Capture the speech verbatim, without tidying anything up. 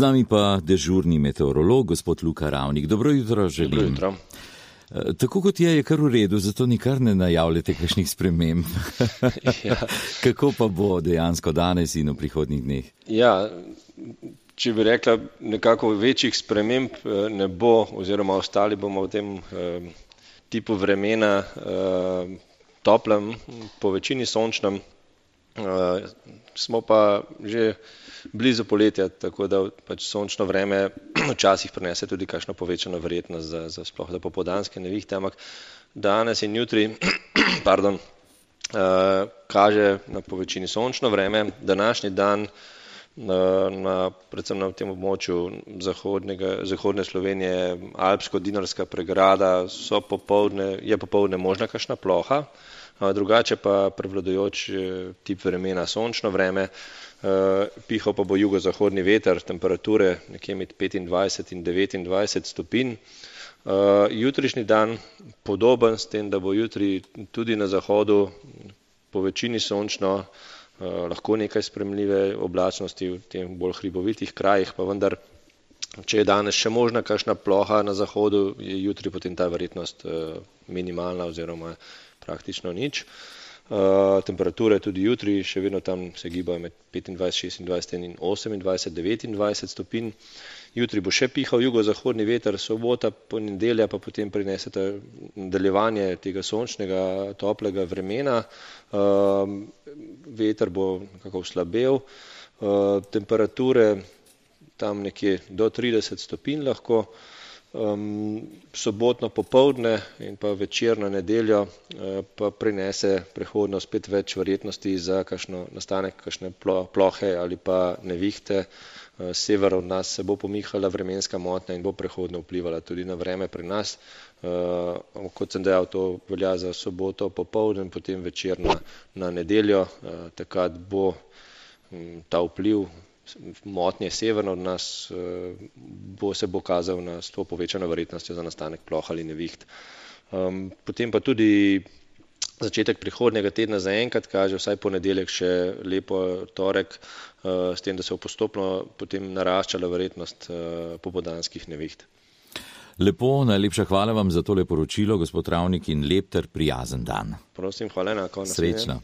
nami pa dežurni meteorolog, gospod Luka Ravnik. Dobro jutro želim. Dobro jutro. Tako kot je, je kar v redu, zato nikar ne najavljate kakšnih sprememb. Ja. Kako pa bo dejansko danes in v prihodnjih dneh? Ja, če bi rekla, nekako večjih sprememb ne bo, oziroma ostali bomo v tem eh, tipu vremena eh, toplem, po večini sončnem. Uh, smo pa že blizu poletja, tako da pač sončno vreme včasih prinese tudi kakšno povečano verjetnost za, za sploh za popoldanske nevihte, ampak danes in jutri pardon, uh, kaže na povečini sončno vreme. Današnji dan na, na, predvsem na tem območju zahodne Slovenije, alpsko-dinarska pregrada, so popoldne, je popoldne možna kakšna ploha. Drugače pa prevladujoč tip vremena sončno vreme, pihal pa bo jugozahodni veter, temperature nekje med petindvajset in devetindvajset stopinj. Jutrišnji dan podoben s tem, da bo jutri tudi na zahodu po večini sončno, lahko nekaj sprejemljive oblačnosti v tem bolj hribovitih krajih, pa vendar, če je danes še možna kakšna ploha na zahodu, je jutri potem ta verjetnost minimalna oziroma praktično nič. Uh, temperature tudi jutri še vedno tam se gibajo med petindvajset, šestindvajset in osemindvajset, devetindvajset stopinj. Jutri bo še pihal jugozahodni veter, sobota, ponedelja pa potem prinesete nadaljevanje tega sončnega, toplega vremena. Uh, veter bo nekako oslabel. Uh, temperature tam nekje do trideset stopinj lahko. Um, sobotno popoldne in pa večer na nedeljo uh, pa prinese prehodno spet več verjetnosti za kakšno nastanek kakšne plo, plohe ali pa nevihte. Uh, sever od nas se bo pomihala vremenska motnja in bo prehodno vplivala tudi na vreme pri nas. Uh, kot sem dejal, to velja za soboto popoldne in potem večer na, na nedeljo. Uh, takrat bo um, ta vpliv motnje severno od nas bo se bo kazal na s to povečano verjetnostjo za nastanek ploh ali neviht. Um, potem pa tudi začetek prihodnjega tedna zaenkrat kaže vsaj ponedeljek še lepo torek, uh, s tem, da se bo postopno potem naraščala verjetnost uh, popoldanskih neviht. Lepo, najlepša hvala vam za tole poročilo, gospod Ravnik, in lep ter prijazen dan. Prosim, hvala enako. Srečno.